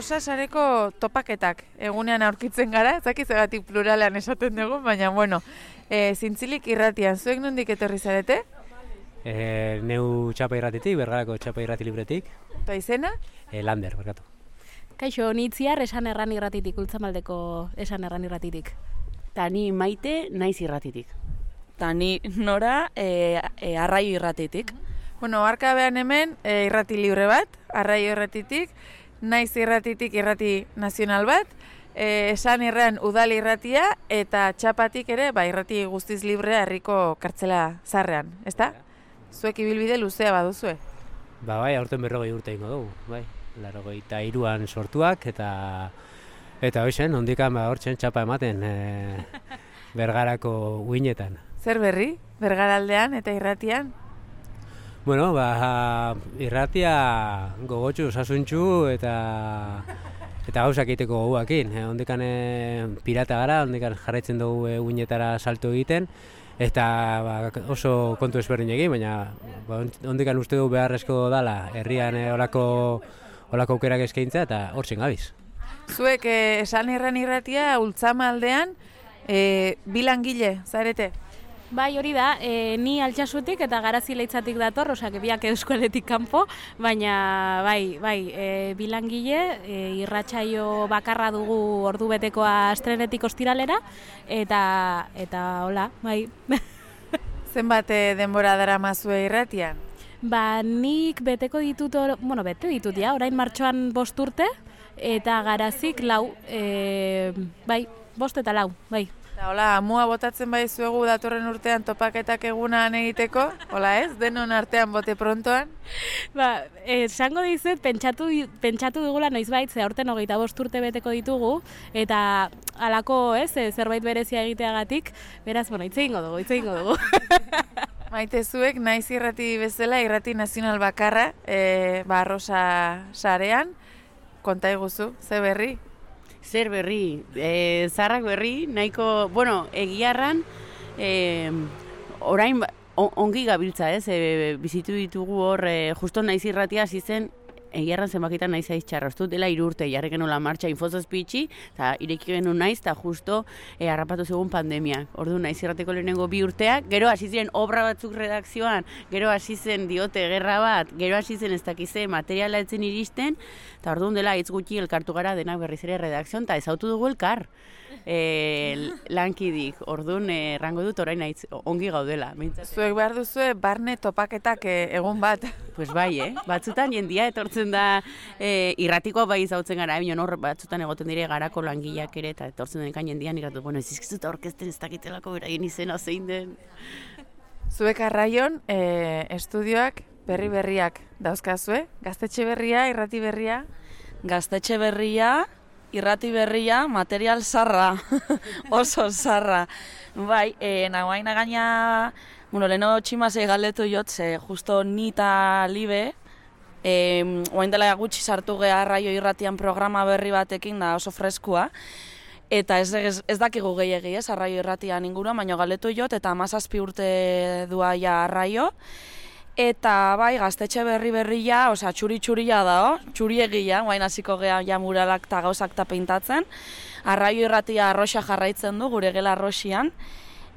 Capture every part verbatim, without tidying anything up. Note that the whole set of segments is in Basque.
Arrosa sareko topaketak egunean aurkitzen gara, ez dakit zegatik pluralean esaten dugu, baina bueno, e, zintzilik irratian, zuek nondik etorri zarete? E, neu txapa irratitik, Bergarako txapa irrati libretik. Eta izena? E, Lander, barkatu. Kaixo, nitziar esan erran irratitik, Ultzamaldeko esan erran irratitik. Ta ni Maite naiz irratitik. Ta ni Nora e, e, Arraio irratitik. Bueno, arkabean hemen e, irrati libre bat, Arraio irratitik, naiz irratitik irrati nazional bat, e, esan irran udal irratia eta txapatik ere ba, irrati guztiz librea herriko kartzela zarrean, ezta? Zuek ibilbide luzea baduzue? Ba bai, aurten berrogei urte ingo dugu, bai. Laurogeita hiruan sortuak eta eta hoxen, ondikan ba hortzen txapa ematen e, Bergarako uinetan. Zer berri, Bergaraldean eta irratian? Bueno, ba, irratia gogotsu, osasuntsu eta eta gauzak egiteko goguakin. Eh, ondikan e, pirata gara, ondikan jarraitzen dugu e, uinetara salto egiten, eta ba, oso kontu ezberdin egin, baina ba, ondikan uste dugu beharrezko dala herrian e, olako, olako aukerak eskaintza eta hortzen gabiz. Zuek e, esan irran irratia Ultzamaldean e, bilangile, zarete? Bai, hori da, e, ni Altsasutik eta Garazi Leitzatik dator, osak biak Euskaletik kanpo, baina bai, bai, e, bilangile, e, irratsaio bakarra dugu ordubetekoa astrenetik ostiralera, eta, eta hola, bai. Zenbat e, denbora daramazue irratian? Ba, nik beteko ditut, or, bueno, bete ditut, ja, orain martxoan bost urte, eta Garazik lau, e, bai, bost eta lau, bai. Eta hola, amua botatzen bai zuegu datorren urtean topaketak egunan egiteko, hola ez, denon artean bote prontoan? Ba, esango dizut, pentsatu, pentsatu dugula noizbait, ze aurten hogeita bost urte beteko ditugu, eta halako ez, zerbait berezia egiteagatik, beraz, bueno, hitz egingo dugu, hitz egingo dugu. Maite zuek, naiz irrati bezala, irrati nazional bakarra, e, ba, Arrosa sarean, konta iguzu, ze berri? Zer berri, e, zarrak berri, nahiko, bueno, egiarran, e, orain on, ongi gabiltza, ez, e, bizitu ditugu hor, e, justo naiz irratia hasi zen, egiarran zenbakitan naiz aiz txarra, ez dut dela hiru urte, jarri genula martxa infozazpitxi, eta ireki genuen naiz, eta justo e, harrapatu zegoen pandemia. Ordu naiz irrateko lehenengo bi urteak, gero hasi ziren obra batzuk redakzioan, gero hasi zen diote gerra bat, gero hasi zen ez dakize materiala etzen iristen, eta orduan dela hitz gutxi elkartu gara denak berriz ere redakzioan, eta ezautu dugu elkar. E, lankidik, orduan errango dut orain naiz ongi gaudela. Mintzate. Zuek behar duzue barne topaketak e, egun bat. Pues bai, eh? Batzutan jendia etortzen da e, irratikoa bai zautzen gara, bion hor batzutan egoten dire garako langileak ere, eta etortzen denekan jendian iratu, bueno, ez izkizut aurkezten ez dakitelako beraien izena zein den. Zuek Arraion e, estudioak berri berriak dauzkazue, gaztetxe berria, irrati berria? Gaztetxe berria, irrati berria, material zarra, oso zarra. Bai, e, nagoaina gaina, bueno, leheno tximazei galdetu jot, ze justo ni eta Libe, e, oain dela gutxi sartu geha Arraio irratian programa berri batekin, da oso freskua, eta ez, ez, ez dakigu gehiagi, ez, Arraio irratian inguruan, baina galdetu jot, eta hamazazpi urte dua ja Arraio, eta bai, gaztetxe berri berria, osea, txuri-txuria da, oh? Txuriegia, guain hasiko geha ja muralak eta gauzak eta pintatzen. Arraio irratia Arrosa jarraitzen du, gure gela Arrosian.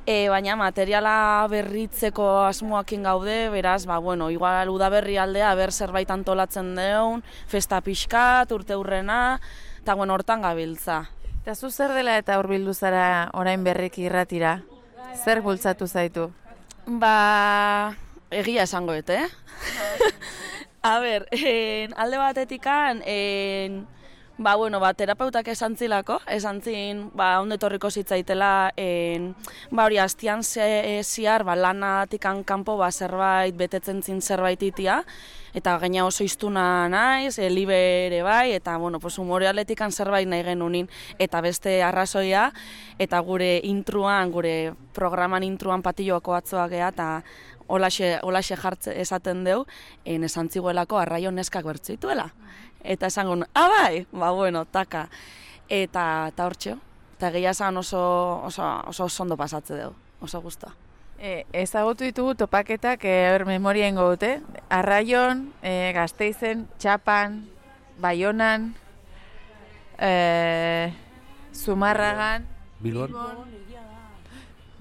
E, baina materiala berritzeko asmoakin gaude, beraz, ba, bueno, igual udaberri aldea, ber zerbait antolatzen deun, festa pixkat, urte hurrena, eta bueno, hortan gabiltza. Eta zu zer dela eta hurbildu zara orain berriki irratira? Zer bultzatu zaitu? Ba... Egia esango dut, eh? A ber, en, alde batetikan, en, ba, bueno, ba, terapeutak esan zilako, esan zin, ba, ondetorriko zitzaitela, en, ba, hori, hastian ziar, ba, lanatikan kanpo, ba, zerbait, betetzen zin zerbait itia, eta gaina oso iztuna naiz, e, Libe ere bai, eta, bueno, pues, humore atletikan zerbait nahi genunin, eta beste arrazoia, eta gure intruan, gure programan intruan patilloako atzoak geha, eta Olaxe, olaxe jartze esaten deu, en esan ziguelako Arraio neskak bertzituela. Eta esango, ah bai, ba bueno, taka. Eta eta hortxeo, eta gehia esan oso, oso, oso ondo pasatze deu, oso gustoa. E, ezagutu ditugu topaketak, e, memoria ingo dute, Arraion, e, Gasteizen, Txapan, Baionan, e, Zumarragan, Bilbon.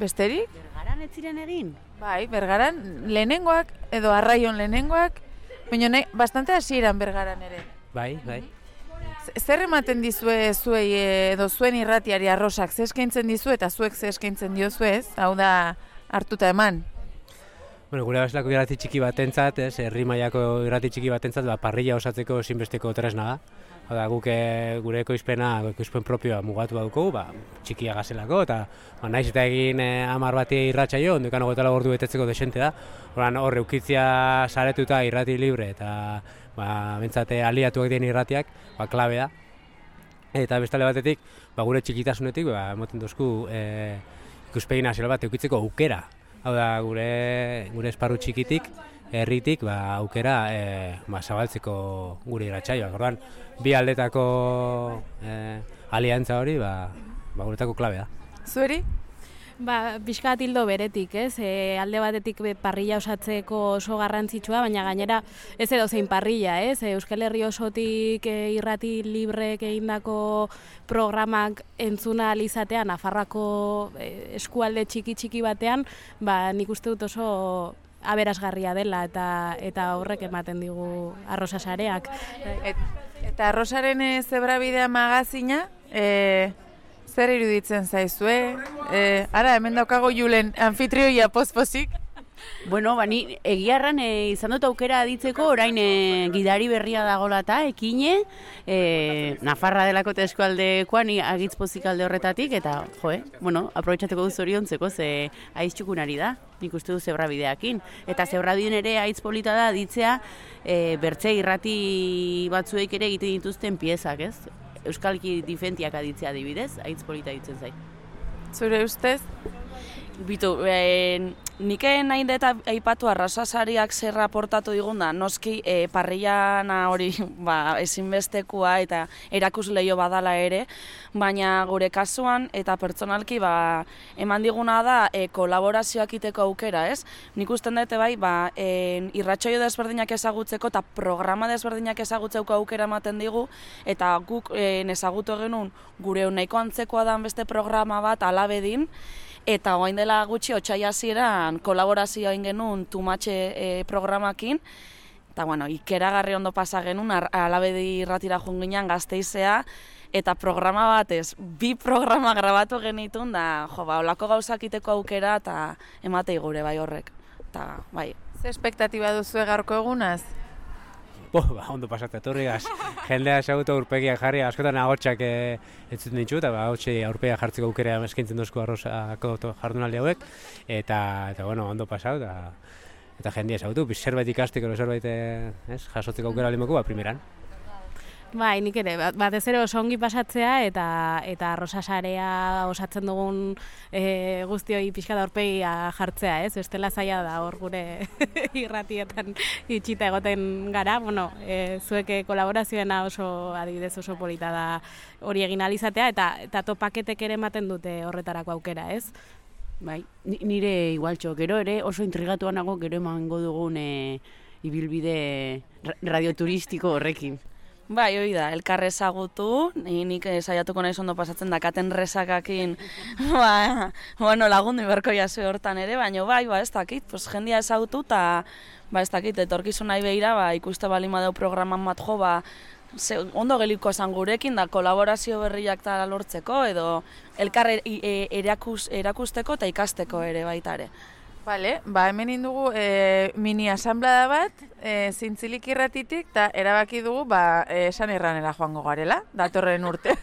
besterik? Bergaran ez ziren egin? Bai, Bergaran lehenengoak, edo Arraion lehenengoak, baina nahi, bastante hasieran Bergaran ere. Bai, bai. Z- Zer ematen dizue zuei edo zuen irratiari Arrosak, ze eskaintzen dizu eta zuek ze eskaintzen diozue, ez? Hau da hartuta eman. Bueno, gure bezalako irrati txiki batentzat, ez, herri mailako irrati txiki batentzat, ba, parrilla osatzeko ezinbesteko tresna da. Hau da, guk e, gure ekoizpena, ekoizpen propioa mugatu dauko, ba, txikia gazelako, eta ba, naiz eta egin e, hamar bati irratsaio, ondokan hogeita lau ordu betetzeko desente da. Horan hor eukitzia saretuta irrati libre, eta ba, bentsate aliatuak den irratiak, ba, klabe da. Eta bestale batetik, ba, gure txikitasunetik, ba, emoten dozku e, ikuspegi nazional bat eukitzeko aukera. Hau da, gure, gure esparru txikitik, herritik, ba, aukera e, ba, zabaltzeko gure irratsaioak. Orduan, bi aldetako e, aliantza hori, ba, ba, guretako klabea. Zueri? Ba, pixka bat hildo beretik, ez? E, alde batetik be, parrilla osatzeko oso garrantzitsua, baina gainera ez edo zein parrilla, ez? E, Euskal Herri osotik e, irrati librek egindako programak entzuna alizatean, Nafarroako e, eskualde txiki-txiki batean, ba, nik uste dut oso aberasgarria dela eta eta horrek ematen digu Arrosa sareak. Et, eta Arrosaren e, Zebrabidea magazina, e, zer iruditzen zaizue? E, ara, hemen daukago Julen anfitrioia pospozik. Bueno, bani, egiarran e, izan dut aukera aditzeko, orain e, gidari berria dagoela eta ekine, e, Nafarra delako eta eskualdekoa ni agitz pozik alde horretatik, eta, jo, eh, bueno, aprobetxateko duz oriontzeko, ze aiz txukunari da, nik uste du zebrabideakin. Eta zebrabideen ere aiz polita da aditzea, e, bertze irrati batzuek ere egiten dituzten piezak, ez? Euskalki difentiak aditzea adibidez, aiz polita ditzen zait. Zure ustez? Bitu, e, nik nahi deta aipatu arrasasariak zer aportatu digunda, noski e, parrillana hori ba, ezinbestekoa eta erakusleio badala ere, baina gure kasuan eta pertsonalki ba, eman diguna da e, kolaborazioak iteko aukera, ez? Nik usten dute bai, ba, e, irratsaio desberdinak ezagutzeko eta programa desberdinak ezagutzeko aukera ematen digu, eta guk e, ezagutu genuen gure nahiko antzekoa dan beste programa bat alabedin, eta orain dela gutxi otsaila hasieran kolaborazioa egin genuen Tumatxe e, programakin, eta bueno, ikeragarri ondo pasa genuen, Alabedi irratira joan ginen Gasteizea, eta programa batez, bi programa grabatu genitun, da, jo, ba, olako gauzak iteko aukera, eta ematei gure bai horrek. Eta, bai. Ze espektatiba duzue gaurko egunaz? Bo, ba, ondo pasatu etorrigaz. Jendea esagutu aurpegiak jarri, askotan agotxak e, entzuten ditu, eta ba, agotxe aurpegiak jartzeko aukera eskaintzen duzko Arrosako jardunaldi hauek, eta, eta bueno, ondo pasatu, eta, eta jendea esagutu, zerbait ikasteko, zerbait ez, jasotzeko aukera limoko, ba, primeran. Bai, nik ere, batez ere oso ongi pasatzea eta eta Arrosa sarea osatzen dugun e, guztioi pixka da aurpegia jartzea, ez? Bestela zaila da hor gure irratietan itxita egoten gara, bueno, e, zuek kolaborazioena oso adibidez oso polita da hori egin alizatea eta eta topaketek ere ematen dute horretarako aukera, ez? Bai, nire igualtxo, gero ere oso intrigatuan nago gero emango dugun e, ibilbide radioturistiko horrekin. Bai, hori da, elkarre ezagutu, nik saiatuko naiz ondo pasatzen dakaten resakakin, ba, bueno, lagundu iberko jasu hortan ere, baina bai, ba, ez dakit, pues, jendia ezagutu eta, ba, ez dakit, etorkizu nahi behira, ba, ikuste bali madeu programan bat jo, ba, ze, ondo geliko esan gurekin, da, kolaborazio berriak tala lortzeko, edo elkarre e, erakus, erakusteko eta ikasteko ere baita ere. Vale, ba hemen indugu e, mini asamblada bat, e, zintzilik irratitik, eta erabaki dugu, ba, e, esan erranera joango garela, datorren urte.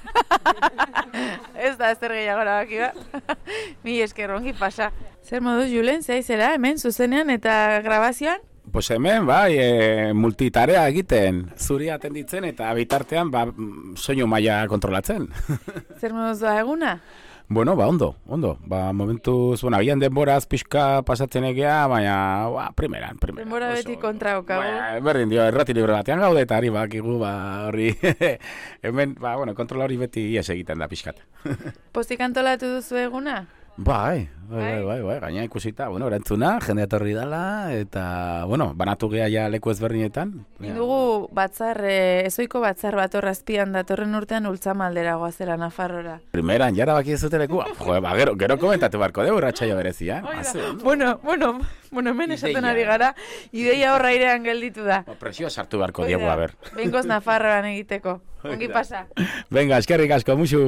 Ez da, zer gehiago erabaki ba. Mi esker ongi pasa. Zer moduz, Julen, zaizera, hemen, zuzenean eta grabazioan? Pues hemen, bai, e, multitarea egiten, zuri atenditzen eta bitartean, ba, soinu maila kontrolatzen. Zer moduz doa eguna? Bueno, ba, ondo, ondo. Ba, momentuz, bueno, agian denboraz pixka pasatzen egea, baina, ba, primeran, primeran. Denbora beti kontra okago. Ba, berdin dio, errati libre batean gaude eta ari bakigu, ba, horri, hemen, ba, bueno, kontrola hori beti ies egiten da pixkat. Pozik antolatu duzu eguna? Bai, bai, bai, bai, bai, gaina ikusita, bueno, erantzuna, jende etorri dela, eta, bueno, banatu gea ja leku ezberdinetan. Dugu batzar, eh, ezoiko batzar bat horrazpian datorren urtean ultzamaldera goazera Nafarrora. Primeran, jara baki ez dute lekua. Jo, ba, gero, gero komentatu barko dugu irratsaio berezia. Bueno, bueno, bueno, hemen esaten ari gara, ideia horra airean gelditu da. Presioa sartu barko diegu, a ber. Behingoz Nafarroan egiteko. Ongi pasa. Venga, eskerrik asko, musu.